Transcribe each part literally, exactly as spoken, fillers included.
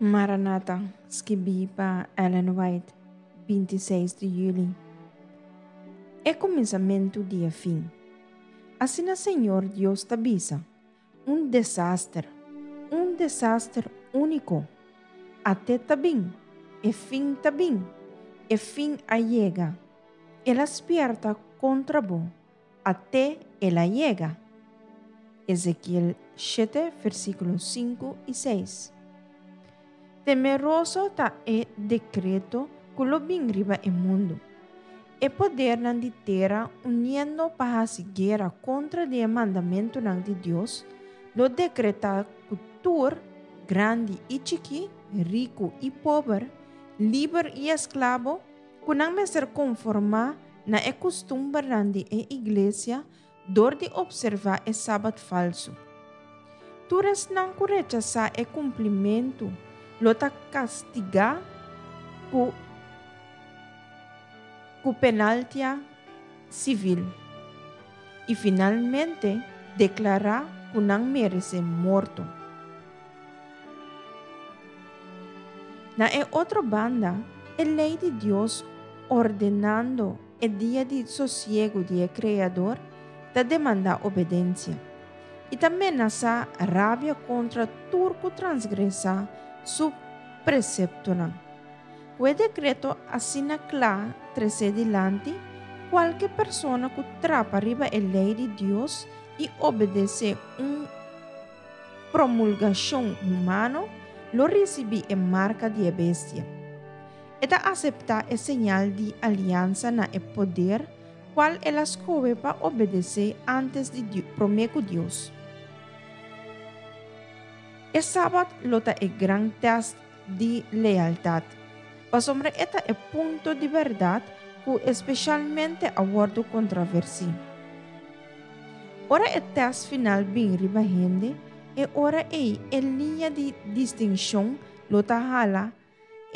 Maranata, skibí pa Ellen White, binti i seis di yüli. E kuminsamentu di e fin. Asina Señor Dios ta bisa, Un desaster, un desaster úniko. At'é ta bin, e fin ta bin, e fin a yega. El a spièrta kontra bo, at'é el a yega. Ezekiel shete, versíkulo sinku i seis. Temeroso ta e dekreto ku lo bin riba e mundu. E podernan di tera uniendo pa hasi guera kontra di e mandamentunan di Dios lo dekretá ku tur, grandi i chikí, riku i pober, liber i esklabo, ku nan mester konformá na e kustumbernan di e iglesia dor di opservá e sabat falsu. Tur esnan ku rechasá e kumplimentu lo ta kastigá ku ku penaltia sivil i finalmente deklará ku nan meresé morto. Na e otro banda, e lei di Dios ordenando e dia di sosiegu di e Kreador ta demandá obedensia i ta menasá rabia kontra tur ku transgresá su preseptonan. Ku e dekreto asina kla tresé dilanti, kualke persona ku trapa riba e lei di Dios i obedesé un promulgashon humano lo risibí e marka di e bestia. E ta aseptá e señal di aliansa na e poder kual el a skohe pa obedesé ántes di promé ku Dios. E Sabat lo ta e gran tèst di lealtat, pasobra e ta e punto di bèrdat ku espeshalmente a wòrdu kontraversí. Ora e tèst final bin riba hende, e ora ei e liña di distinshon lo ta hala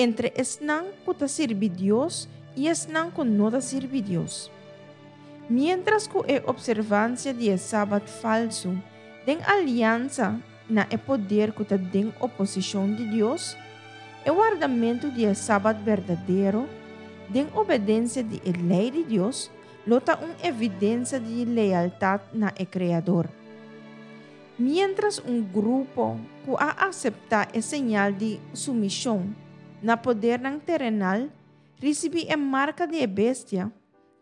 entre esnan ku ta sirbi Dios i esnan ku no ta sirbi Dios. Miéntras ku e opservansia di e Sabat falsu den aliansa na e poder ku ta den oposishon di Dios, e wardamentu di e Sabat berdadero, den obedensia di e lei di Dios, lo ta un evidensia di lealtat na e Kreador. Miéntras un grupo ku a aseptá e señal di sumishon na podernan terenal risibí e marka di e bestia,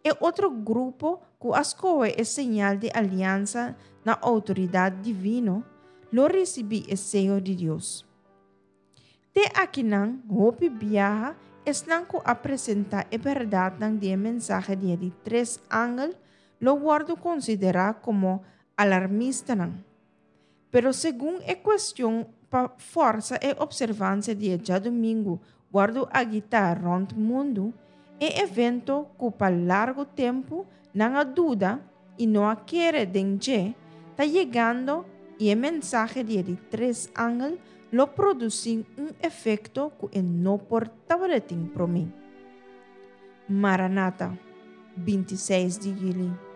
e otro grupo ku a skohe e señal di aliansa na outoridat divino lo risibí e seyo di Dios. Te akinan hopi biaha esnan ku a presentá e bèrdatnan di e mensahe di e di tres angel lo wòrdu konsiderá komo alarmistanan. Pero segun e kuestion pa fòrsa e opservansia di e djadumingu wòrdu agitá rònt mundu, e evento ku pa largu tempu nan a duda i no a kere den dje, ta yegando i e mensahe di e di tres angel lo produsí un efekto ku e no por tabatin promé. Maranata, binti i seis di yüli.